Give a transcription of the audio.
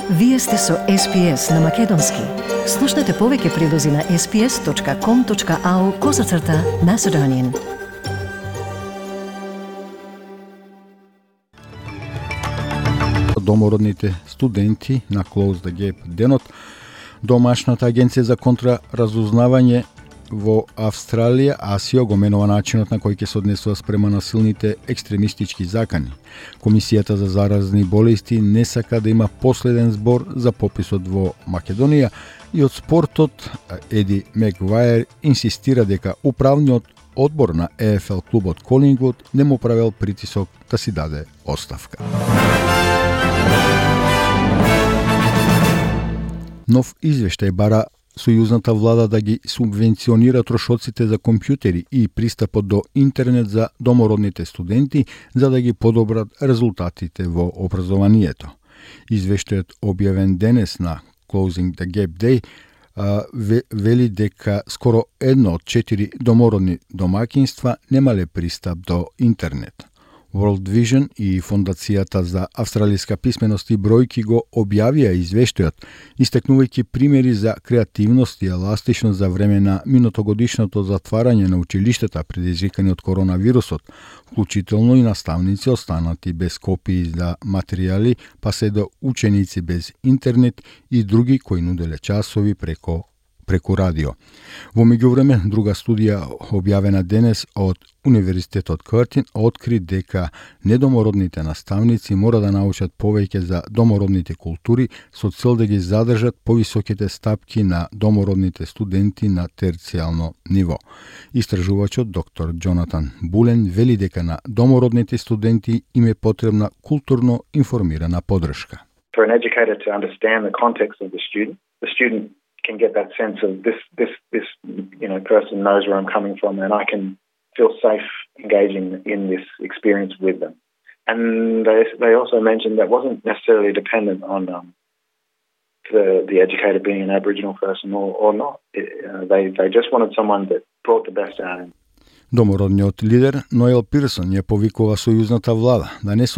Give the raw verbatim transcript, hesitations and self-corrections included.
Вие сте со Ес Пи Ес на Македонски. Слушнете повеќе прилози на ес пи ес точка ком точка ау козацрта Macedonian. Домородните студенти на Close the Gap денот, домашната агенција за контраразузнавање во Австралија, АСИО, го менува начинот на кој ќе се однесува спрема насилните екстремистички закани. Комисијата за заразни болести не сака да има последен збор за пописот во Македонија и од спортот Еди Мегвајер инсистира дека управниот одбор на Е Еф Ел клубот Колингвуд не му правел притисок да си даде оставка. Нов извештај бара сојузната влада да ги субвенционира трошоците за компјутери и пристапот до интернет за домородните студенти за да ги подобрат резултатите во образованието. Извештајот објавен денес на Closing the Gap Day вели дека скоро едно од четири домородни домакинства немале пристап до интернет. World Vision и Фондацијата за австралиска писменост и бројки го објавија извештајот, истакнувајќи примери за креативност и еластичност за време на минутогодишното затварање на училиштата предизвикани од коронавирусот, вклучително и наставници останати без копии за материјали, па се до ученици без интернет и други кои нуделе часови преко преку радио. Во меѓувреме, друга студија објавена денес од Универзитетот Къртин откри дека недомородните наставници мора да научат повеќе за домородните култури со цел да ги задржат повисоките стапки на домородните студенти на терцијално ниво. Истражувачот доктор Джонатан Булен вели дека на домородните студенти им е потребна културно информирана поддршка. For an educator to understand the context of the student, the student can get that sense of this, this, this, you know, person knows where I'm coming from, and I can feel safe engaging in this experience with them. And they they also mentioned that wasn't necessarily dependent on um, the the educator being an Aboriginal person or or not. It, uh, they they just wanted someone that brought the best out of him. Домородниот лидер Ноел Пирсон ја повикува сојузната влада да не се